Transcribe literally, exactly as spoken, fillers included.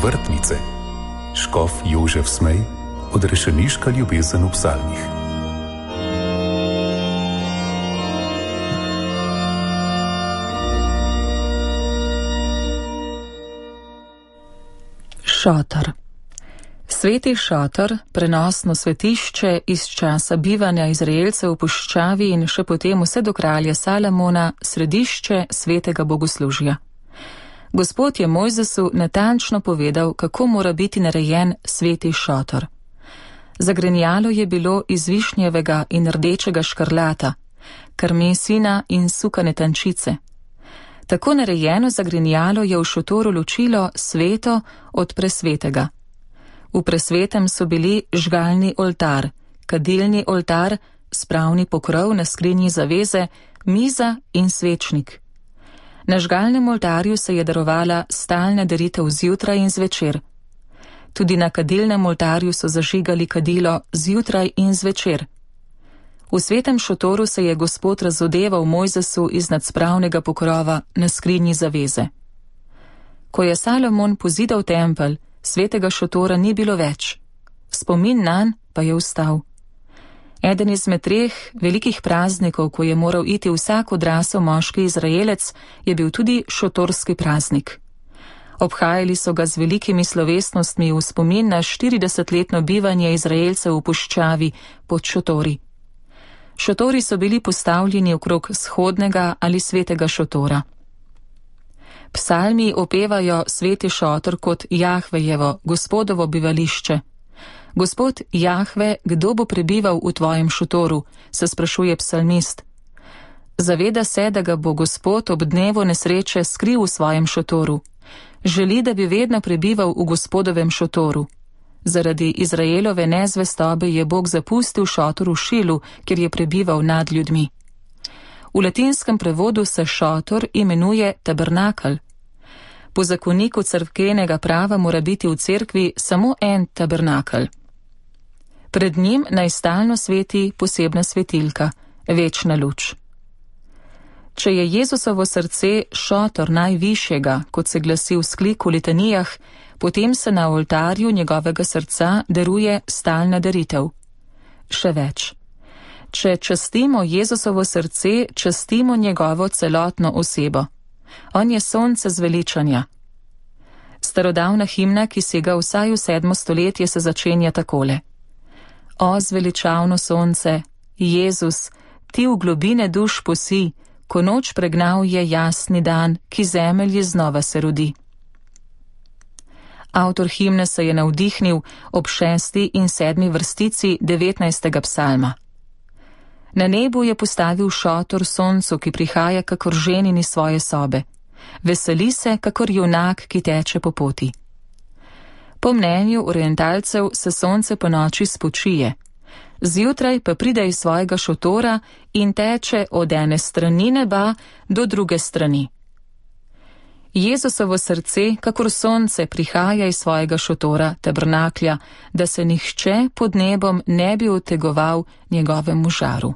Vrtnice. Škof Jožef Smej, odrešeniška ljubezen v psalmih. Šotor. Sveti šotor, prenosno svetišče iz časa bivanja Izraelcev v puščavi in še potem vse do kralja Salamona, središče svetega bogoslužja. Gospod je Mojzesu natančno povedal, kako mora biti narejen sveti šotor. Zagrenjalo je bilo iz višnjevega in rdečega škrlata, karmesina in sukane tančice. Tako narejeno zagrenjalo je v šotoru ločilo sveto od presvetega. V presvetem so bili žgalni oltar, kadilni oltar, spravni pokrov na skrinji zaveze, miza in svečnik. Na žgalnem oltarju se je darovala stalna daritev zjutraj in zvečer. Tudi na kadilnem oltarju so zažigali kadilo zjutraj in zvečer. V svetem šotoru se je Gospod razodeval Mojzesu iznad spravnega pokrova na skrinji zaveze. Ko je Salomon pozidal tempelj, svetega šotora ni bilo več. Spomin nanj pa je vstal. Eden izmed treh velikih praznikov, ko je moral iti vsak odrasel moški Izraelec, je bil tudi šotorski praznik. Obhajali so ga z velikimi slovesnostmi v spomin na štiridesetletno bivanje Izraelcev v puščavi pod šotori. Šotori so bili postavljeni okrog shodnega ali svetega šotora. Psalmi opevajo sveti šotor kot Jahvejevo, Gospodovo bivališče. Gospod Jahve, kdo bo prebival v tvojem šotoru, se sprašuje psalmist. Zaveda se, da ga bo Gospod ob dnevu nesreče skril v svojem šotoru. Želi, da bi vedno prebival v Gospodovem šotoru. Zaradi Izraelove nezvestobe je Bog zapustil šotor v Šilu, kjer je prebival nad ljudmi. V latinskem prevodu se šotor imenuje tabernakel. Po zakoniku cerkvenega prava mora biti v cerkvi samo en tabernakel. Pred njim naj stalno sveti posebna svetilka, večna luč. Če je Jezusovo srce šotor najvišjega, kot se glasi v skliku litanijah, potem se na oltarju njegovega srca daruje stalna daritev. Še več. Če častimo Jezusovo srce, častimo njegovo celotno osebo. On je sonce zveličanja. Starodavna himna, ki sega vsaj v sedmo stoletje, se začenja takole. O zveličavno sonce, Jezus, ti v globine duš posi, ko noč pregnal je jasni dan, ki zemelji znova se rodi. Avtor himne se je navdihnil ob šesti in sedmi vrstici devetnajstega psalma. Na nebu je postavil šotor soncu, ki prihaja kakor ženin iz svoje sobe. Veseli se, kakor junak, ki teče po poti. Po mnenju orientalcev se sonce po noči spočije. Zjutraj pa pride iz svojega šotora in teče od ene strani neba do druge strani. Jezusovo srce, kakor sonce, prihaja iz svojega šotora, tabernaklja, da se nihče pod nebom ne bi utegoval njegovemu žaru.